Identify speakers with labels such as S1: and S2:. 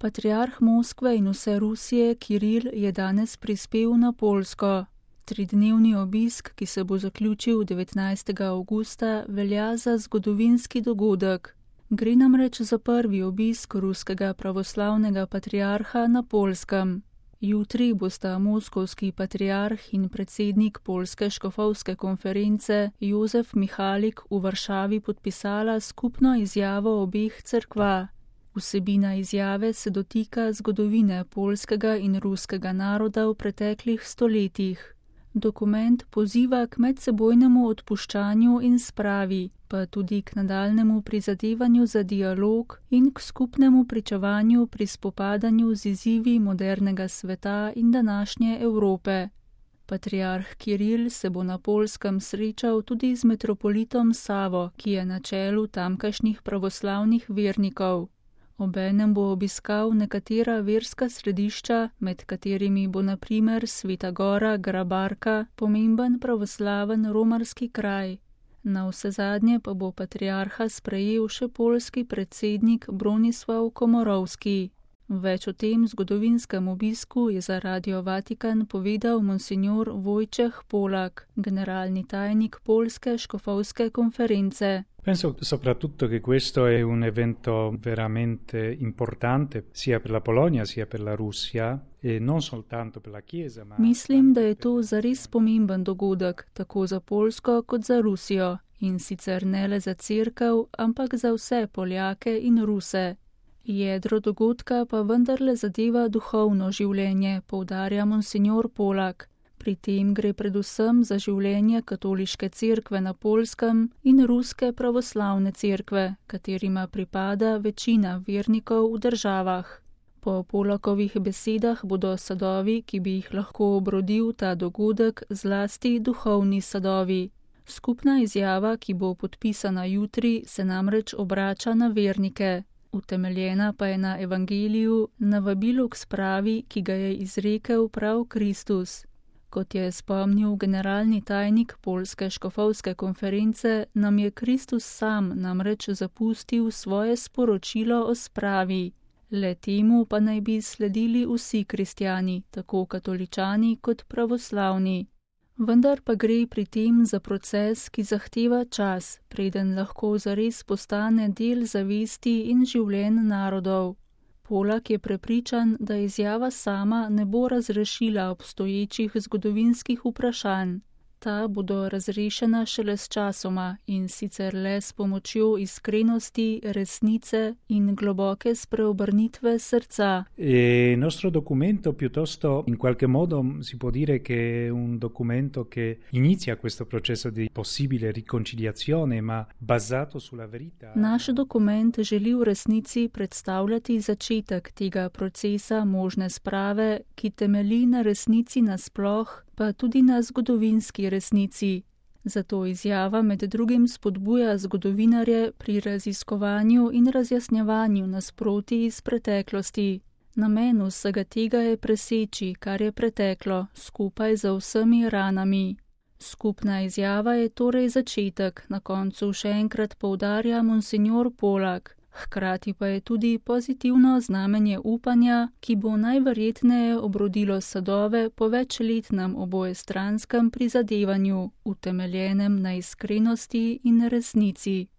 S1: Patriarh Moskve in vse Rusije Kiril je danes prispel na Poljsko. 3-dnevni obisk, ki se bo zaključil 19. avgusta, velja za zgodovinski dogodek. Gre namreč za prvi obisk ruskega pravoslavnega patriarha na Poljskem. Jutri bosta moskovski patriarh in predsednik Poljske škofovske konference Jozef Mihalik v Varšavi podpisala skupno izjavo obeh cerkva. Vsebina izjave se dotika zgodovine poljskega in ruskega naroda v preteklih stoletjih. Dokument poziva k medsebojnemu odpuščanju in spravi, pa tudi k nadaljnemu prizadevanju za dialog in k skupnemu pričevanju pri spopadanju z izzivi modernega sveta in današnje Evrope. Patriarh Kiril se bo na Poljskem srečal tudi z metropolitom Savo, ki je na čelu tamkajšnjih pravoslavnih vernikov. Obenem bo obiskal nekatera verska središča, med katerimi bo na primer Sveta Gora Grabarka, pomemben pravoslaven romarski kraj. Navsezadnje pa bo patriarha sprejel še poljski predsednik Bronislav Komorowski. Več o tem zgodovinskem obisku je za Radio Vatikan povedal monsignor Wojciech Polak, generalni tajnik Poljske škofovske konference.
S2: Penso soprattutto che questo è un evento veramente importante sia per la Polonia sia per la Russia e non soltanto per la Chiesa.
S1: Mislim, da je to zares pomemben dogodek, tako za Poljsko kot za Rusijo, in sicer ne le za cerkev, ampak za vse Poljake in Ruse. Jedro dogodka pa vendarle zadeva duhovno življenje, poudarja monsignor Polak. Pri tem gre predvsem za življenje katoliške cerkve na Poljskem in ruske pravoslavne cerkve, katerima pripada večina vernikov v državah. Po Polakovih besedah bodo sadovi, ki bi jih lahko obrodil ta dogodek, zlasti duhovni sadovi. Skupna izjava, ki bo podpisana jutri, se namreč obrača na vernike. Utemeljena pa je na evangeliju, na vabilu k spravi, ki ga je izrekel prav Kristus. Kot je spomnil generalni tajnik Poljske škofovske konference, nam je Kristus sam namreč zapustil svoje sporočilo o spravi. Le temu pa naj bi sledili vsi kristjani, tako katoličani kot pravoslavni. Vendar pa gre pri tem za proces, ki zahteva čas, preden lahko zares postane del zavesti in življenj narodov. Polak je prepričan, da izjava sama ne bo razrešila obstoječih zgodovinskih vprašanj. Ta bodo razrešena šele s časoma in sicer le s pomočjo iskrenosti, resnice in globoke spreobrnitve srca.
S2: Il nostro documento piuttosto in qualche modo si può dire che è un documento che inizia questo processo di possibile riconciliazione, ma basato sulla verità.
S1: Naš dokument želi v resnici predstavljati začetek tega procesa možne sprave, ki temelji na resnici nasploh, pa tudi na zgodovinski resnici. Zato izjava med drugim spodbuja zgodovinarje pri raziskovanju in razjasnjevanju nasprotij iz preteklosti. Namen vsega tega je preseči, kar je preteklo, skupaj z vsemi ranami. Skupna izjava je torej začetek, na koncu še enkrat poudarja monsignor Polak. Hkrati pa je tudi pozitivno znamenje upanja, ki bo najverjetneje obrodilo sadove po večletnem obojestranskem prizadevanju, utemeljenem na iskrenosti in resnici.